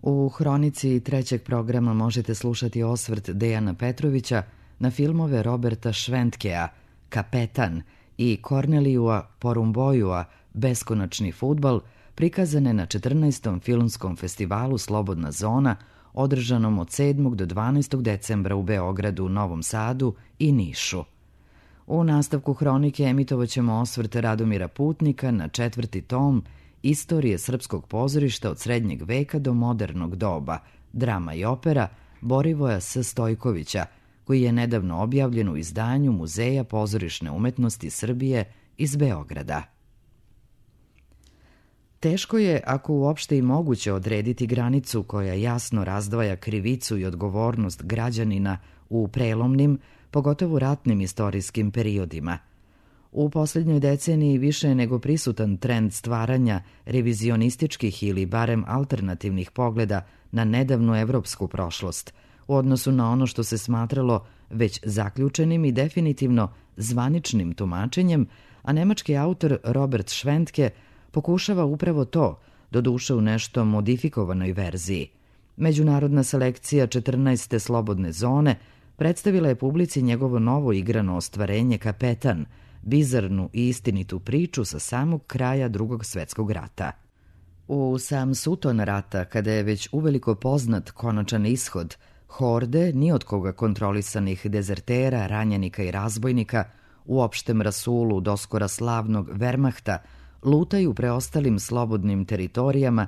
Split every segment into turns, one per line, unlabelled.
U hronici trećeg programa možete slušati osvrt Dejana Petrovića na filmove Roberta Šventkea Kapetan i Kornelijua Porumboiua Beskonačni fudbal, prikazane na 14. filmskom festivalu Slobodna zona, održanom od 7. do 12. decembra u Beogradu, Novom Sadu i Nišu. U nastavku hronike emitovaćemo osvrt Radomira Putnika na 4. tom Istorije srpskog pozorišta od srednjeg veka do modernog doba, drama i opera Borivoja S. Stojkovića, koji je nedavno objavljen u izdanju Muzeja pozorišne umetnosti Srbije iz Beograda. Teško je, ako uopšte i moguće, odrediti granicu koja jasno razdvaja krivicu i odgovornost građanina u prelomnim, pogotovo ratnim istorijskim periodima. U posljednjoj deceniji više je nego prisutan trend stvaranja revizionističkih ili barem alternativnih pogleda na nedavnu evropsku prošlost, u odnosu na ono što se smatralo već zaključenim i definitivno zvaničnim tumačenjem, a nemački autor Robert Šventke pokušava upravo to, doduše u nešto modifikovanoj verziji. Međunarodna selekcija 14. slobodne zone predstavila je publici njegovo novo igrano ostvarenje Kapetan, bizarnu i istinitu priču sa samog kraja Drugog svetskog rata. U sam suton rata, kada je već uveliko poznat konačan ishod, horde ni od koga kontrolisanih dezertera, ranjenika i razbojnika u opštem rasulu doskora slavnog Wehrmachta lutaju preostalim slobodnim teritorijama,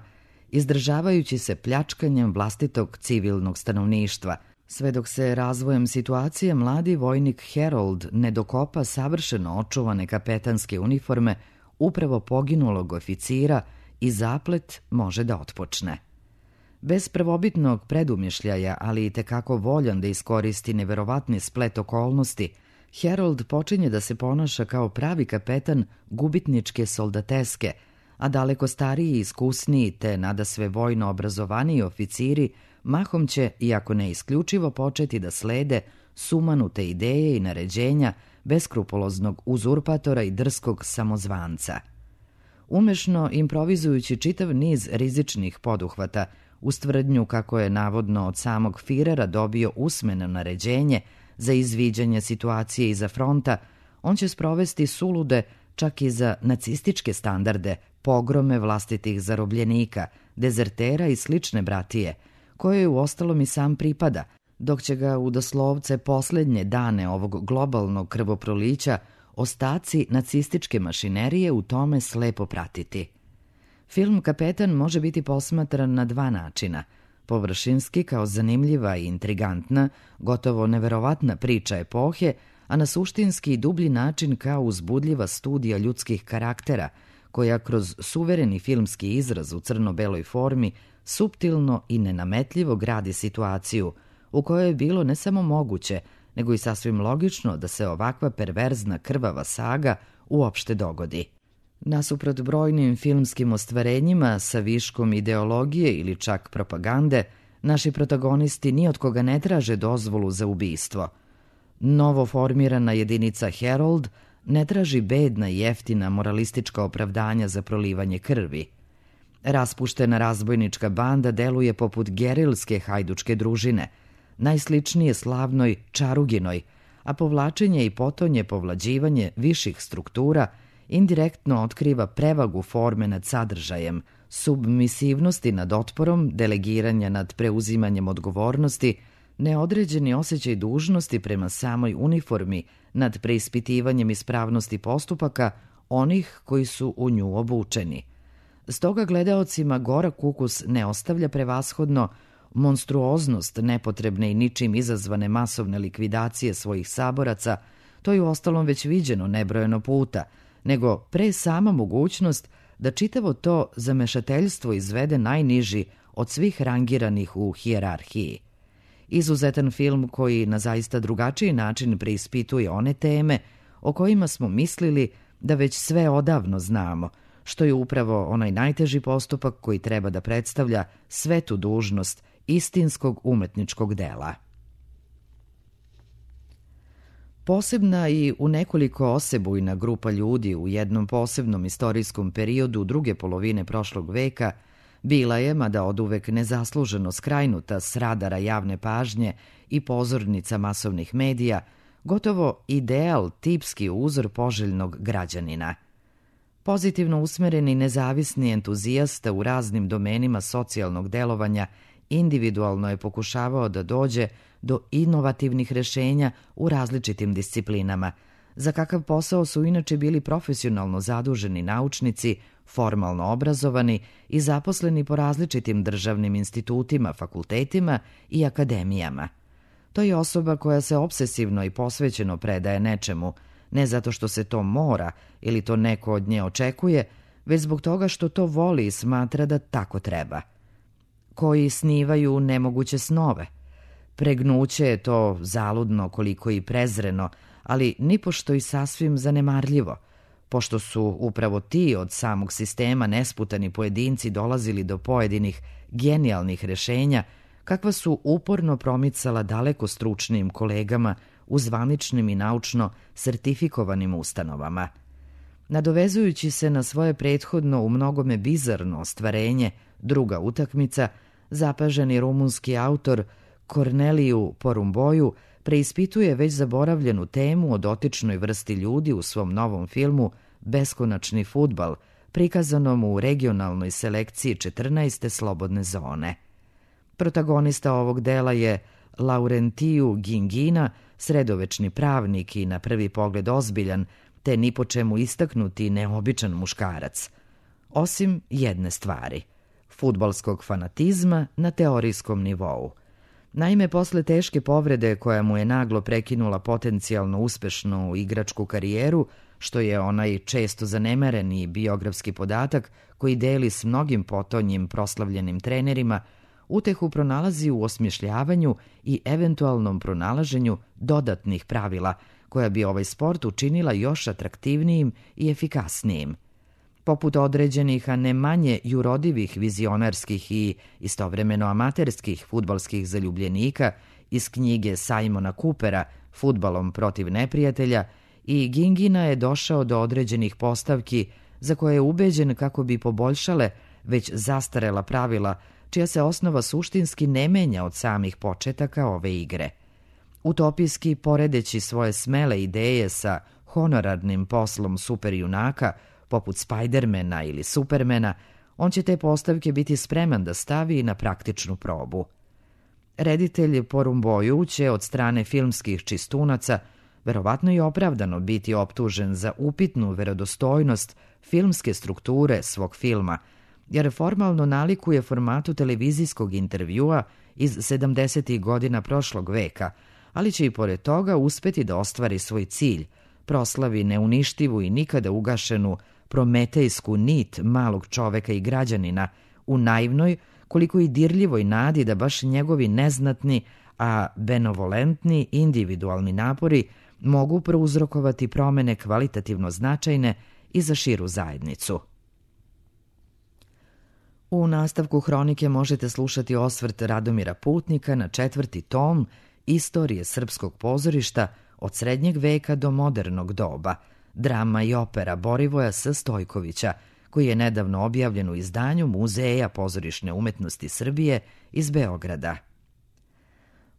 izdržavajući se pljačkanjem vlastitog civilnog stanovništva, sve dok se razvojem situacije mladi vojnik Herold ne dokopa savršeno očuvane kapetanske uniforme upravo poginulog oficira i zaplet može da otpočne. Bez prvobitnog predumišljaja, ali i tekako voljan da iskoristi neverovatni splet okolnosti, Herold počinje da se ponaša kao pravi kapetan gubitničke soldateske, a daleko stariji i iskusniji te nadasve vojno obrazovaniji oficiri mahom će, iako ne isključivo, početi da slede sumanute ideje i naređenja beskrupuloznog uzurpatora i drskog samozvanca. Umešno improvizujući čitav niz rizičnih poduhvata, uz tvrdnju kako je navodno od samog Firera dobio usmeno naređenje za izviđanje situacije iza fronta, on će sprovesti sulude, čak i za nacističke standarde, pogrome vlastitih zarobljenika, dezertera i slične bratije, koje uostalom i sam pripada, dok će ga u doslovce posljednje dane ovog globalnog krvoprolića ostaci nacističke mašinerije u tome slepo pratiti. Film Kapetan može biti posmatran na dva načina: površinski kao zanimljiva i intrigantna, gotovo neverovatna priča epohe, a na suštinski i dublji način kao uzbudljiva studija ljudskih karaktera, koja kroz suvereni filmski izraz u crno-beloj formi suptilno i nenametljivo gradi situaciju u kojoj je bilo ne samo moguće, nego i sasvim logično da se ovakva perverzna krvava saga uopšte dogodi. Nasuprot brojnim filmskim ostvarenjima sa viškom ideologije ili čak propagande, naši protagonisti ni od koga ne traže dozvolu za ubistvo. Novo formirana jedinica Herold ne traži bedna i jeftina moralistička opravdanja za prolivanje krvi. Raspuštena razbojnička banda deluje poput gerilske hajdučke družine, najsličnije slavnoj Čaruginoj, a povlačenje i potonje povlađivanje viših struktura indirektno otkriva prevagu forme nad sadržajem, submisivnosti nad otporom, delegiranja nad preuzimanjem odgovornosti, neodređeni osjećaj dužnosti prema samoj uniformi nad preispitivanjem ispravnosti postupaka onih koji su u nju obučeni. Stoga gledaocima gorak ukus ne ostavlja prevashodno monstruoznost nepotrebne i ničim izazvane masovne likvidacije svojih saboraca, to je uostalom već viđeno nebrojeno puta, nego pre sama mogućnost da čitavo to zamešateljstvo izvede najniži od svih rangiranih u hijerarhiji. Izuzetan film koji na zaista drugačiji način preispituje one teme o kojima smo mislili da već sve odavno znamo, što je upravo onaj najteži postupak koji treba da predstavlja svetu dužnost istinskog umetničkog dela. Posebna i u nekoliko osebujna grupa ljudi u jednom posebnom istorijskom periodu druge polovine prošlog veka Bila je, mada oduvek nezasluženo skrajnuta s radara javne pažnje i pozornica masovnih medija, gotovo ideal, tipski uzor poželjnog građanina. Pozitivno usmereni nezavisni entuzijasta u raznim domenima socijalnog delovanja individualno je pokušavao da dođe do inovativnih rešenja u različitim disciplinama, za kakav posao su inače bili profesionalno zaduženi naučnici, formalno obrazovani i zaposleni po različitim državnim institutima, fakultetima i akademijama. To je osoba koja se opsesivno i posvećeno predaje nečemu, ne zato što se to mora ili to neko od nje očekuje, već zbog toga što to voli i smatra da tako treba. Koji snivaju nemoguće snove. Pregnuće je to zaludno koliko i prezreno, ali nipošto i sasvim zanemarljivo, pošto su upravo ti od samog sistema nesputani pojedinci dolazili do pojedinih genijalnih rešenja, kakva su uporno promicala daleko stručnijim kolegama u zvaničnim i naučno sertifikovanim ustanovama. Nadovezujući se na svoje prethodno u mnogome bizarno ostvarenje Druga utakmica, zapaženi rumunski autor Korneliju Porumboju preispituje već zaboravljenu temu o dotičnoj vrsti ljudi u svom novom filmu Beskonačni fudbal, prikazanom u regionalnoj selekciji 14. slobodne zone. Protagonista ovog dela je Laurentiju Gingina, sredovečni pravnik i na prvi pogled ozbiljan, te ni po čemu istaknuti neobičan muškarac. Osim jedne stvari – fudbalskog fanatizma na teorijskom nivou. Naime, posle teške povrede koja mu je naglo prekinula potencijalno uspešnu igračku karijeru, što je onaj često zanemareni biografski podatak koji deli s mnogim potonjim proslavljenim trenerima, utehu pronalazi u osmišljavanju i eventualnom pronalaženju dodatnih pravila koja bi ovaj sport učinila još atraktivnijim i efikasnijim. Poput određenih, a ne manje jurodivih vizionarskih i istovremeno amaterskih fudbalskih zaljubljenika iz knjige Simona Coopera Fudbalom protiv neprijatelja, i Gingina je došao do određenih postavki za koje je ubeđen kako bi poboljšale već zastarela pravila, čija se osnova suštinski ne menja od samih početaka ove igre. Utopijski poredeći svoje smele ideje sa honorarnim poslom superjunaka, poput Spidermana ili Supermana, on će te postavke biti spreman da stavi na praktičnu probu. Reditelj Porumboju će od strane filmskih čistunaca verovatno i opravdano biti optužen za upitnu verodostojnost filmske strukture svog filma, jer formalno nalikuje formatu televizijskog intervjua iz 70. godina prošlog veka, ali će i pored toga uspeti da ostvari svoj cilj, proslavi neuništivu i nikada ugašenu prometejsku nit malog čoveka i građanina u naivnoj, koliko i dirljivoj nadi da baš njegovi neznatni, a benevolentni individualni napori mogu prouzrokovati promene kvalitativno značajne i za širu zajednicu. U nastavku hronike možete slušati osvrt Radomira Putnika na 4. tom Istorije srpskog pozorišta od srednjeg veka do modernog doba, drama i opera Borivoja S. Stojkovića, koji je nedavno objavljen u izdanju Muzeja pozorišne umetnosti Srbije iz Beograda.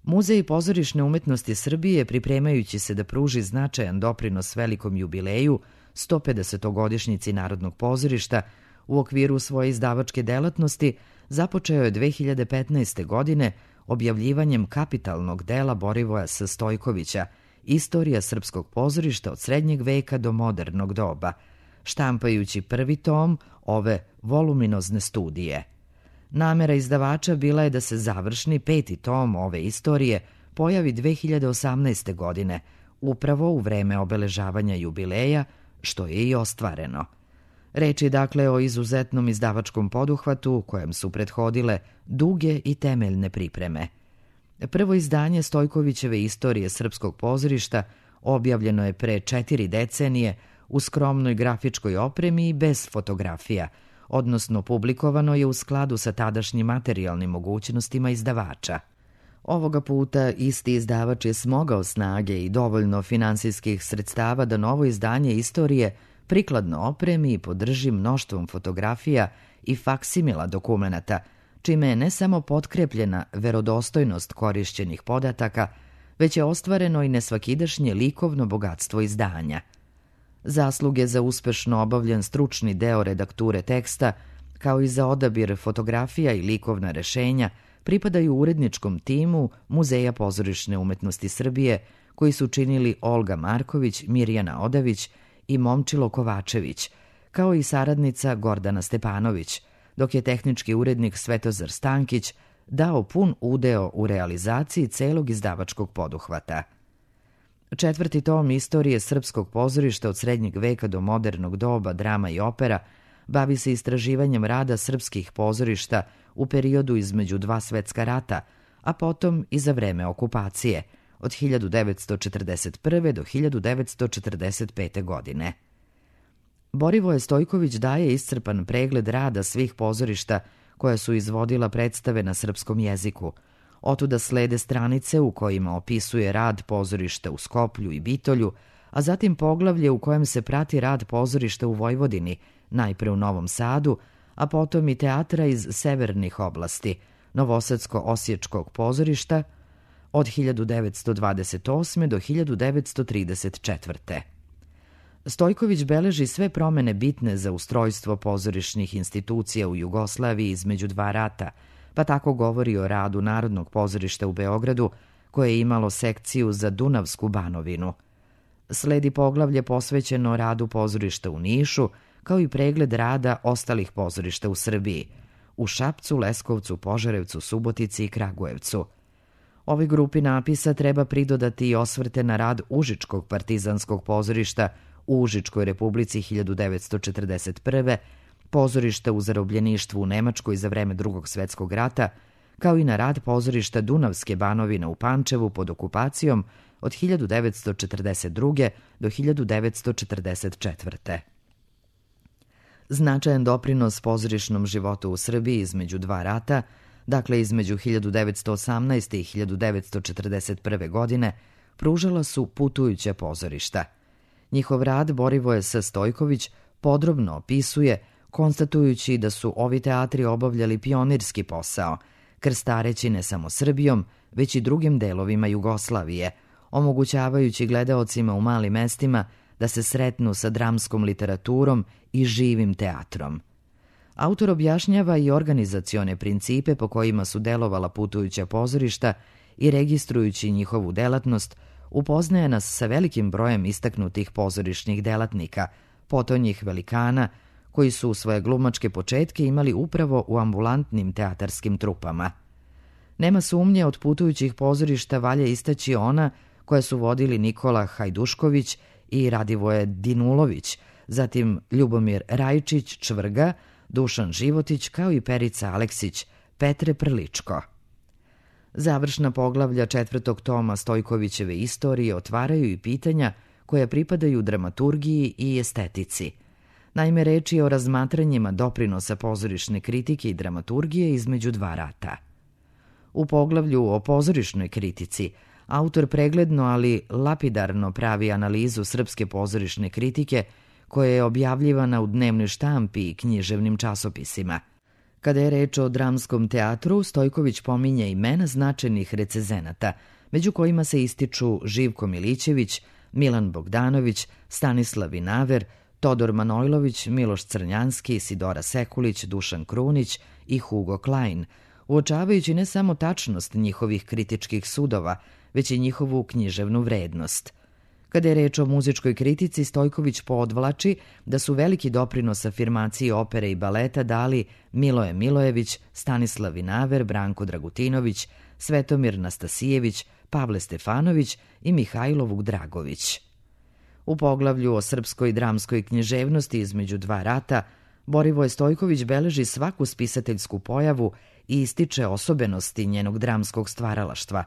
Muzej pozorišne umetnosti Srbije, pripremajući se da pruži značajan doprinos velikom jubileju 150-godišnjici Narodnog pozorišta, u okviru svoje izdavačke delatnosti započeo je 2015. godine objavljivanjem kapitalnog dela Borivoja S. Stojkovića Istorija srpskog pozorišta od srednjeg veka do modernog doba, štampajući 1. tom ove voluminozne studije. Namera izdavača bila je da se završni 5. tom ove istorije pojavi 2018. godine, upravo u vreme obeležavanja jubileja, što je i ostvareno. Reč je dakle o izuzetnom izdavačkom poduhvatu kojem su prethodile duge i temeljne pripreme. Prvo izdanje Stojkovićeve Istorije srpskog pozorišta objavljeno je pre 4 decenije u skromnoj grafičkoj opremi i bez fotografija, odnosno publikovano je u skladu sa tadašnjim materijalnim mogućnostima izdavača. Ovoga puta isti izdavač je smogao snage i dovoljno finansijskih sredstava da novo izdanje istorije prikladno opremi i podrži mnoštvom fotografija i faksimila dokumenata, čime je ne samo potkrepljena verodostojnost korišćenih podataka, već je ostvareno i nesvakidašnje likovno bogatstvo izdanja. Zasluge za uspešno obavljen stručni deo redakture teksta, kao i za odabir fotografija i likovna rešenja, pripadaju uredničkom timu Muzeja pozorišne umetnosti Srbije, koji su činili Olga Marković, Mirjana Odavić i Momčilo Kovačević, kao i saradnica Gordana Stepanović, dok je tehnički urednik Svetozar Stankić dao pun udeo u realizaciji celog izdavačkog poduhvata. 4. tom istorije srpskog pozorišta od srednjeg veka do modernog doba, drama i opera, bavi se istraživanjem rada srpskih pozorišta u periodu između dva svetska rata, a potom i za vreme okupacije, od 1941. do 1945. godine. Borivoje Stojković daje iscrpan pregled rada svih pozorišta koja su izvodila predstave na srpskom jeziku. Otuda slede stranice u kojima opisuje rad pozorišta u Skoplju i Bitolju, a zatim poglavlje u kojem se prati rad pozorišta u Vojvodini, najpre u Novom Sadu, a potom i teatra iz severnih oblasti, Novosadsko-Osječkog pozorišta od 1928. do 1934. Stojković beleži sve promene bitne za ustrojstvo pozorišnih institucija u Jugoslaviji između dva rata, pa tako govori o radu Narodnog pozorišta u Beogradu, koje je imalo sekciju za Dunavsku banovinu. Sledi poglavlje posvećeno radu pozorišta u Nišu, kao i pregled rada ostalih pozorišta u Srbiji, u Šapcu, Leskovcu, Požarevcu, Subotici i Kragujevcu. Ovoj grupi napisa treba pridodati i osvrte na rad Užičkog partizanskog pozorišta u Užičkoj republici 1941. pozorišta u zarobljeništvu u Nemačkoj za vreme Drugog svetskog rata, kao i na rad pozorišta Dunavske banovine u Pančevu pod okupacijom od 1942. do 1944. Značajan doprinos pozorišnom životu u Srbiji između dva rata, dakle između 1918. i 1941. godine, pružala su putujuća pozorišta. Njihov rad Borivoje S. Stojković podrobno opisuje, konstatujući da su ovi teatri obavljali pionirski posao, krstareći ne samo Srbijom, već i drugim delovima Jugoslavije, omogućavajući gledaocima u malim mestima da se sretnu sa dramskom literaturom i živim teatrom. Autor objašnjava i organizacione principe po kojima su delovala putujuća pozorišta i registrujući njihovu delatnost, upoznaje nas sa velikim brojem istaknutih pozorišnih delatnika, potonjih velikana, koji su svoje glumačke početke imali upravo u ambulantnim teatarskim trupama. Nema sumnje, od putujućih pozorišta valja istaći ona koja su vodili Nikola Hajdušković i Radivoje Dinulović, zatim Ljubomir Rajčić, Čvrga, Dušan Životić, kao i Perica Aleksić, Petre Prličko. Završna poglavlja 4. toma Stojkovićeve istorije otvaraju i pitanja koja pripadaju dramaturgiji i estetici. Naime, reč je o razmatranjima doprinosa pozorišne kritike i dramaturgije između dva rata. U poglavlju o pozorišnoj kritici autor pregledno, ali lapidarno pravi analizu srpske pozorišne kritike koja je objavljivana u dnevnoj štampi i književnim časopisima. Kada je reč o dramskom teatru, Stojković pominje imena značajnih recezenata, među kojima se ističu Živko Milićević, Milan Bogdanović, Stanislav Vinaver, Todor Manojlović, Miloš Crnjanski, Sidora Sekulić, Dušan Krunić i Hugo Klein, uočavajući ne samo tačnost njihovih kritičkih sudova, već i njihovu književnu vrednost. Kada je reč o muzičkoj kritici, Stojković podvlači da su veliki doprinos afirmaciji opere i baleta dali Miloje Milojević, Stanislav Vinaver, Branko Dragutinović, Svetomir Nastasijević, Pavle Stefanović i Mihajlo Vukdragović. U poglavlju o srpskoj dramskoj književnosti između dva rata, Borivoje Stojković beleži svaku spisateljsku pojavu i ističe osobenosti njenog dramskog stvaralaštva.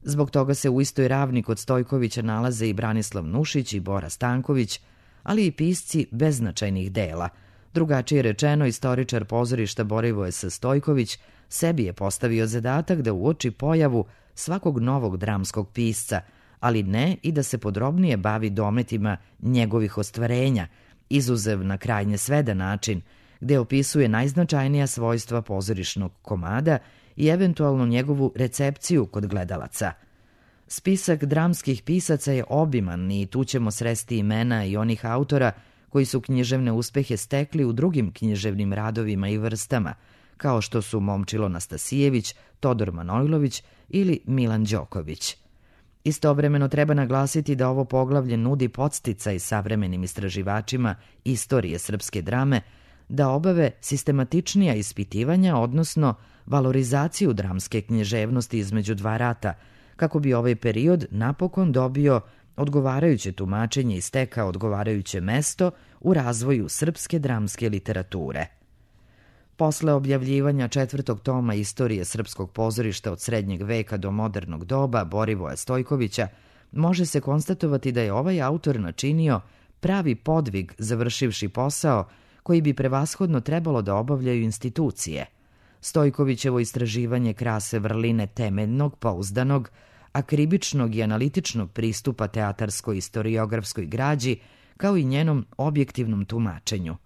Zbog toga se u istoj ravni kod Stojkovića nalaze i Branislav Nušić i Bora Stanković, ali i pisci beznačajnih dela. Drugačije rečeno, istoričar pozorišta Borivoje S. Stojković sebi je postavio zadatak da uoči pojavu svakog novog dramskog pisca, ali ne i da se podrobnije bavi dometima njegovih ostvarenja, izuzev na krajnje svedan način, gde opisuje najznačajnija svojstva pozorišnog komada i eventualno njegovu recepciju kod gledalaca. Spisak dramskih pisaca je obiman i tu ćemo sresti imena i onih autora koji su književne uspehe stekli u drugim književnim radovima i vrstama, kao što su Momčilo Nastasijević, Todor Manojlović ili Milan Đoković. Istovremeno treba naglasiti da ovo poglavlje nudi podsticaj savremenim istraživačima istorije srpske drame da obave sistematičnija ispitivanja, odnosno valorizaciju dramske književnosti između dva rata, kako bi ovaj period napokon dobio odgovarajuće tumačenje i stekao odgovarajuće mesto u razvoju srpske dramske literature. Posle objavljivanja 4. toma istorije srpskog pozorišta od srednjeg veka do modernog doba Borivoja Stojkovića, može se konstatovati da je ovaj autor načinio pravi podvig završivši posao koji bi prevashodno trebalo da obavljaju institucije. Stojkovićevo istraživanje krase vrline temeljnog, pouzdanog, akribičnog i analitičnog pristupa teatarsko-istoriografskoj građi, kao i njenom objektivnom tumačenju.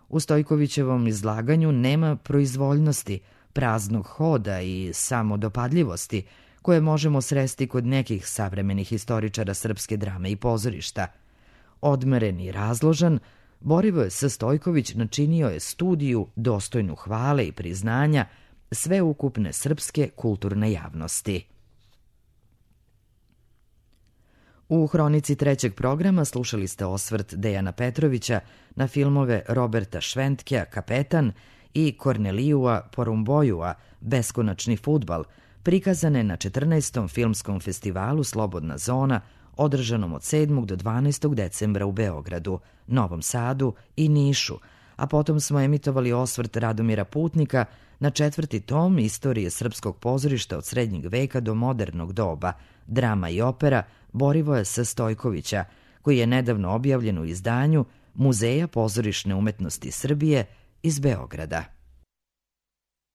U Stojkovićevom izlaganju nema proizvoljnosti, praznog hoda i samodopadljivosti koje možemo sresti kod nekih savremenih istoričara srpske drame i pozorišta. Odmeren i razložan, Borivoje S. Stojković načinio je studiju dostojnu hvale i priznanja sveukupne srpske kulturne javnosti. U hronici trećeg programa slušali ste osvrt Dejana Petrovića na filmove Roberta Šventkea Kapetan i Kornelijua Porumbojua Beskonačni fudbal, prikazane na 14. filmskom festivalu Slobodna zona, održanom od 7. do 12. decembra u Beogradu, Novom Sadu i Nišu, a potom smo emitovali osvrt Radomira Putnika na 4. tom istorije srpskog pozorišta od srednjeg veka do modernog doba, drama i opera Borivoja S. Stojkovića, koji je nedavno objavljen u izdanju Muzeja pozorišne umetnosti Srbije iz Beograda.